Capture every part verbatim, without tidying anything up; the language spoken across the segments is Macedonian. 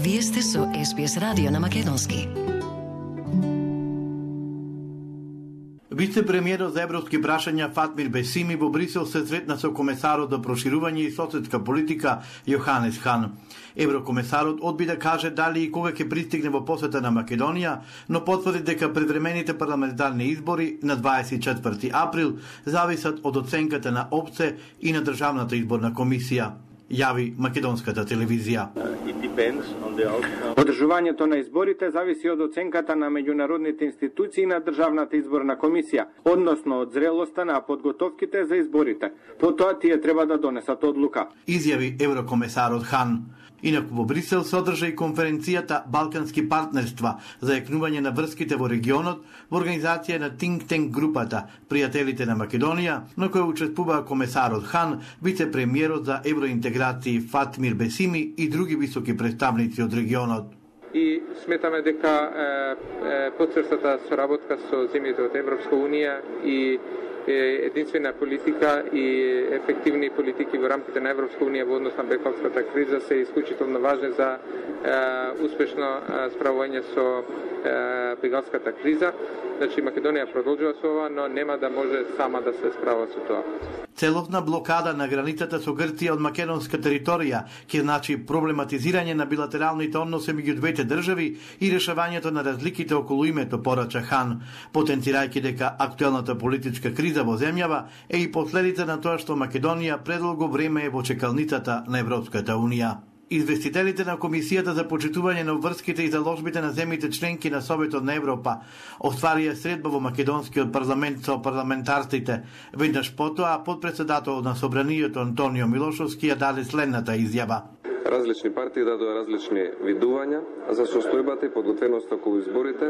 Вие сте со Ес Би Ес радио на македонски. Вице-премиерот за европски прашања Фатмир Бесими во Брисел се сретна со комесарот за проширување и соседска политика Јоханес Хан. Еврокомесарот одби да каже дали и кога ќе пристигне во посета на Македонија, но потврди дека предвремените парламентарни избори на дваесет и четврти април зависат од оценката на ОПСЕ и на Државната изборна комисија, јави македонската телевизија. Одржувањето на изборите зависи од оценката на меѓународните институции и на Државната изборна комисија, односно од зрелоста на подготовките за изборите. Потоа тие треба да донесат одлука, изјави еврокомесарот Хан. Инаку во Брисел се одржа и конференцијата Балкански партнерства за јакнување на врските во регионот во организација на Think Tank групата Пријателите на Македонија, на која учествуваа комесарот Хан, вице-премиерот за евроинтеграција Фатмир Бесими и други високи представници од регионот. И сметаме дека е, е, потврдата соработка со земјите од Европска унија и единствена политика и ефективни политики во рамките на Европска унија во однос на бекалската криза се исклучително важни за е, успешно е, справување со е, бегалската криза. Значи Македонија продолжува со ова, но нема да може сама да се справа со тоа. Целосна блокада на границата со Грција од македонска територија ќе значи проблематизирање на билатералните односи меѓу двете држави и решавањето на разликите околу името, порача Хан, потенцирајќи дека актуелната политичка криза во земјава е и последица на тоа што Македонија предолго време е во чекалницата на Европската унија. Известителите на Комисијата за почитување на врските и заложбите на земјите членки на Советот на Европа остварија средба во македонскиот парламент со парламентарците. Веднаш потоа подпредседателот на Собранието Антонио Милошовски ја даде следната изјава. Различни партии дадоа различни видувања за состојбата и подготвеноста околу изборите,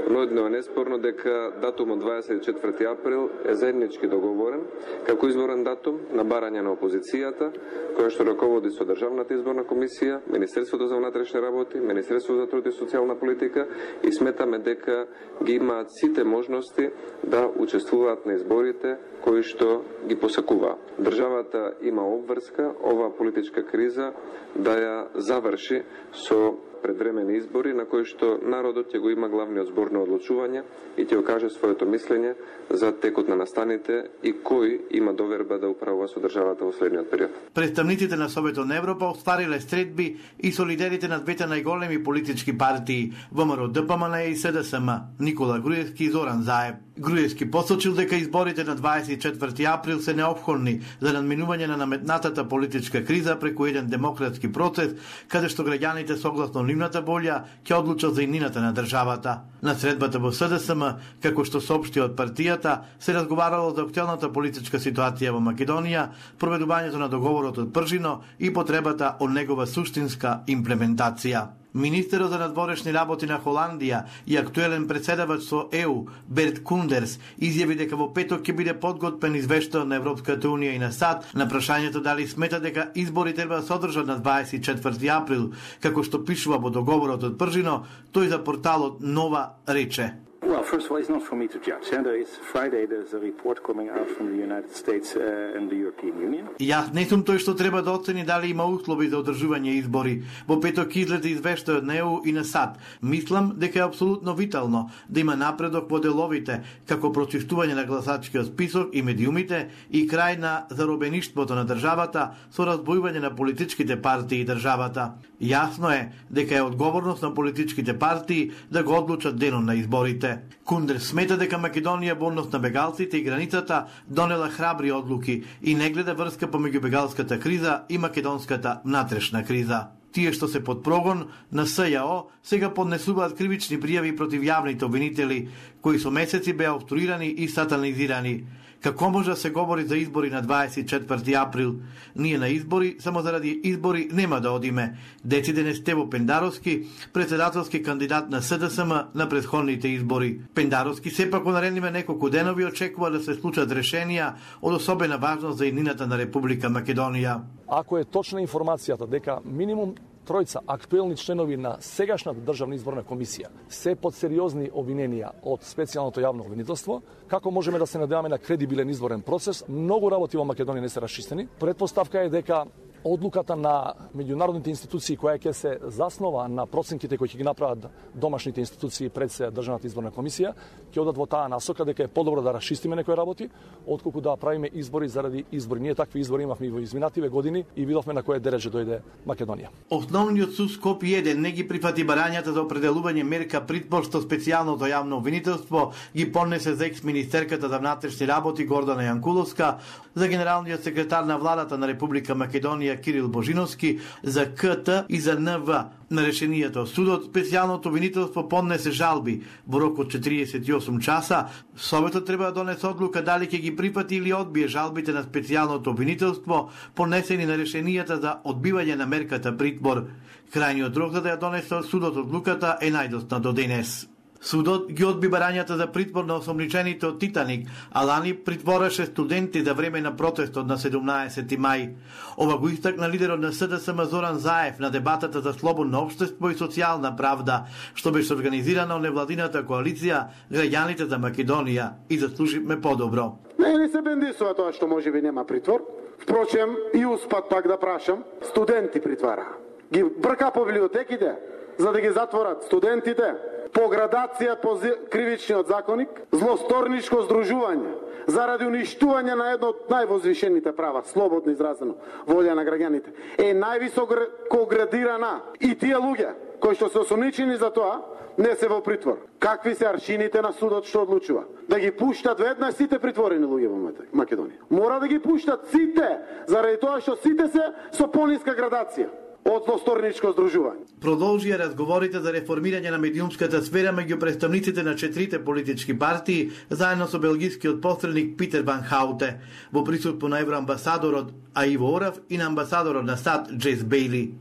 но едно е неспорно дека датумот дваесет и четврти април е заеднички договорен како изборен датум на барање на опозицијата, која што раководи со Државната изборна комисија, Министерството за внатрешни работи, Министерството за труд и социјална политика, и сметаме дека ги имаат сите можности да учествуваат на изборите кои што ги посакуваа. Државата има обврска ова политичка криза да ја заврши со предвремени избори на кои што народот ќе го има главниот збор на одлучување и ќе окаже своето мислење за текот на настаните и кој има доверба да управува со државата во следниот период. Представниците на Советот на Европа оствариле средби и со лидерите на двете најголеми политички партии ВМРО Д П М Н и С Д С М, Никола Груевски и Зоран Заев. Груевски посочил дека изборите на дваесет и четврти април се неопходни за надминување на наметнатата политичка криза преку еден демократски процес, каде што граѓаните согласно нивната волја ќе одлучат за иднината на државата. На средбата во С Д С М, како што соопшти од партијата, се разговарало за актуелната политичка ситуација во Македонија, проведувањето на договорот од Пржино и потребата од негова суштинска имплементација. Министерот за надворешни работи на Холандија и актуелен председавач со Е У, Берт Кундерс, изјави дека во петок ќе биде подготвен извештај на Европската унија и на САД на прашањето дали смета дека избори треба да се одржат на дваесет и четврти април, како што пишува во договорот од Пржино, тој за порталот Нова рече. Well, first of all, it's not for me to judge. And there is Friday there's a report coming out from the United States uh, and the European Union. Јас не сум тој што треба да оцени дали има услови за одржување избори. Во петок излезе извештај од Е У и на САД. Мислам дека е апсолутно витално да има напредок во деловите, како прочистување на гласачкиот список и медиумите и крај на заробеништвото на државата со разбојување на политичките партии и државата. Јасно е дека е одговорност на политичките партии да го одлучат денот на изборите. Кундерс смета дека Македонија во однос на бегалците и границата донела храбри одлуки и не гледа врска помеѓу бегалската криза и македонската внатрешна криза. Тие што се под прогон на С Ја О сега поднесуваат кривични пријави против јавните обвинители, кои со месеци беа обструирани и сатанизирани. Како може да се говори за избори на дваесет и четврти април? Ние на избори, само заради избори, нема да одиме. Дециден е Стево Пендаровски, председателски кандидат на С Д С М на претходните избори. Пендаровски сепак во наредниве неколку денови очекува да се случат решенија од особена важност за иднината на Република Македонија. Ако е точна информацијата дека минимум тројца актуелни членови на сегашната државна изборна комисија се под сериозни обвиненија од специјалното јавно обвинителство, како можеме да се надеваме на кредибилен изборен процес? Многу работи во Македонија не се расчистени. Предпоставка е дека Одлуката на меѓународните институции која ќе се заснова на проценките кои ќе ги направат домашните институции пред се Државната изборна комисија, ќе одат во таа насока дека е подобро да расчистиме некои работи, отколку да правиме избори заради избори. Ние такви избори имавме и во изминативе години и видовме на кое дереже дојде Македонија. Основниот суд Скопје еден не ги прифати барањата за определување мерка притвор што специјалното јавно обвинителство ги поднесе за екс-министерката за внатрешни работи Гордана Јанкуловска, за генералниот секретар на владата на Република Македонија Кирил Божиновски, за КТ и за НВ. На решението судот специјалното обвинителство поднесе жалби во рок од четириесет и осум часа. Советот треба да донесе одлука дали ќе ги прифати или одбие жалбите на специјалното обвинителство поднесени на решенијата за одбивање на мерката притвор. Крајниот рок за да ја донесе судот одлуката е најдосна до денес. Судот ги одби барањата за притвор на осомничените од Титаник, а лани притвораше студенти за време на протестот на седумнаесети мај. Ова го истакна лидерот на СДСМ Зоран Заев на дебатата за слободно општество и социјална правда, што беше организирана од невладината коалиција Граѓаните за Македонија и заслуживме подобро. Не, не се бендисува тоа што можеби нема притвор. Впрочем, и успат пак да прашам, студенти притвара. Ги брка по библиотеките за да ги затворат студентите. По градација по кривичниот законник, злосторничко здружување, заради уништување на едно од највозвишените права, слободно изразено, волја на граѓаните, е највисоко градирана. И тие луѓе, кои што се осомничени за тоа, не се во притвор. Какви се аршините на судот што одлучува? Да ги пуштат веднаш сите притворени луѓе во Македонија. Мора да ги пуштат сите, заради тоа што сите се со пониска градација од злосторничко здружување. Продолжија разговорите за реформирање на медиумската сфера меѓу представниците на четирите политички партии, заедно со белгискиот посредник Питер Ван Хауте, во присуство на евроамбасадорот Аиво Орав и на амбасадорот на САД Джейс Бејли.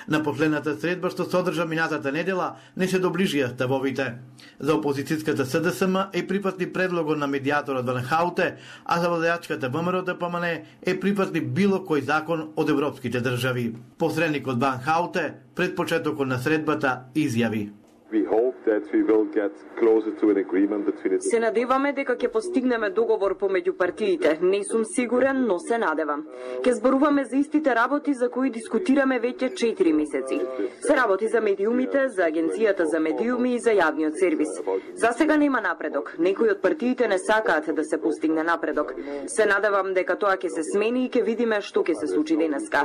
На последната средба што се одржа минатата недела не се доближија ставовите. За опозицијската СДСМ е припатли предлогот на медијаторот Ван Хауте, а за владеачката ВМРО Д П М Н е припатли било кој закон од европските држави. Посредникот Ван Хауте пред почетокот на средбата изјави: Се надеваме дека ќе постигнеме договор помеѓу партиите. Не сум сигурен, но се надевам. Ќе зборуваме за истите работи за кои дискутираме веќе четири месеци. Се работи за медиумите, за Агенцијата за медиуми и за јавниот сервис. За сега нема напредок. Некои од партиите не сакаат да се постигне напредок. Се надевам дека тоа ќе се смени и ќе видиме што ќе се случи денеска.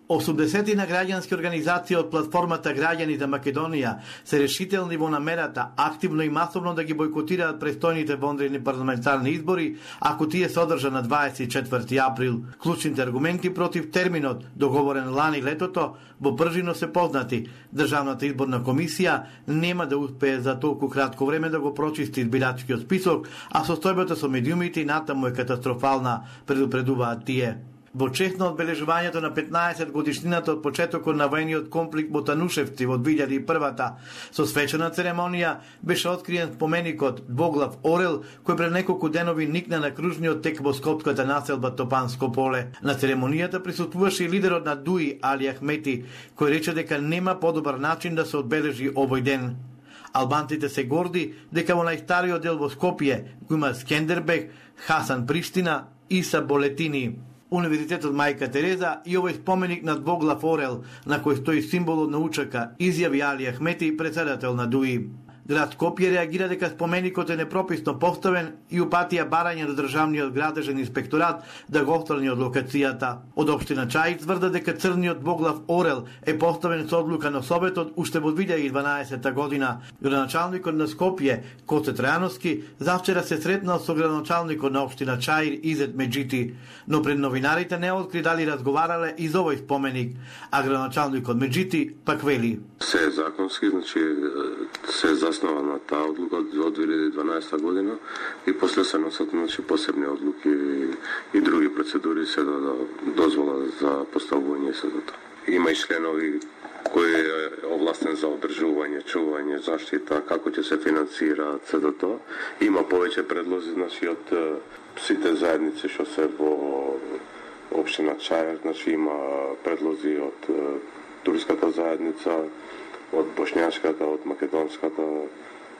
осумдесет на граѓански организации од платформата Граѓани за Македонија се решителни во намерата активно и масовно да ги бойкотираат престојните вонредни парламентарни избори, ако тие се одржа на дваесет и четврти април. Клучните аргументи против терминот, договорен лани летото, во пржино се познати. Државната изборна комисија нема да успее за толку кратко време да го прочисти избирачкиот список, а состојбата со медиумите и натаму е катастрофална, предупредуваат тие. Во чест на одбележувањето на петнаесет годишнината од почетокот на војниот конфликт во Танушевци во две илјади и прва со свечена церемонија беше откриен споменикот двоглав орел кој пред неколку денови никна на кружниот тек во скопската населба Топанско поле. На церемонијата присуствуваше и лидерот на Дуи Али Ахмети, кој рече дека нема подобар начин да се одбележи овој ден. Албанците се горди дека во најстариот дел во Скопје го има Скендербег, Хасан Приштина, Иса Болетини, Универзитетот Мајка Тереза и овој споменик на двоглав орел на кој стои символот на учака, изјави Али Ахмети, председател на Дуи. Град Скопје реагира дека споменикот е непрописно поставен и упатија барање до државниот градежен инспекторат да го отстрани од локацијата. Од општина Чај тврда дека црниот двоглав орел е поставен со одлука на Советот уште во две илјади и дванаесета година. Градоначалникот на Скопје, Коце Трајановски, завчера се сретнал со градоначалникот на општина Чаир Изет Меджити, но пред новинарите не откри дали разговарале и за овој споменик, а градоначалникот Меджити пак вели: Се е законски, значи се заснова на таа одлука од две илјади и дванаесета година и после се носат значи посебни одлуки и други процедури се да дозвола за поставување се за тоа. Има и членови кој е овластен за одржување, чување, заштита, како ќе се финансира се за тоа. Има повеќе предлози значи од сите заедници што се во општина Чаир, значи има предлози од турската заедница, од бошњашката, од македонската,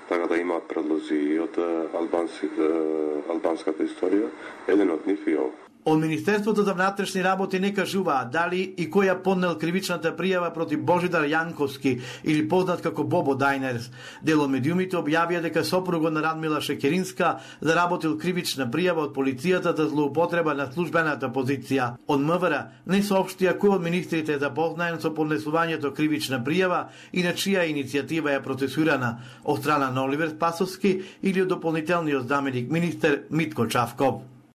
така да имаат предлози и од албанската историја. Еден од нив и ов. Од Министерството за внатрешни работи не кажуваат дали и кој ја поднел кривичната пријава против Божидар Јанковски или познат како Бобо Дајнерс. Дел од медиумите објавија дека сопругот на Радмила Шекеринска заработил кривична пријава од полицијата за злоупотреба на службената позиција. Од МВР не соопштија кој од министрите е запознаен со поднесувањето кривична пријава и на чија иницијатива е процесурана, од страна на Оливер Спасовски или од дополнителниот заменик министер Митко Чавков.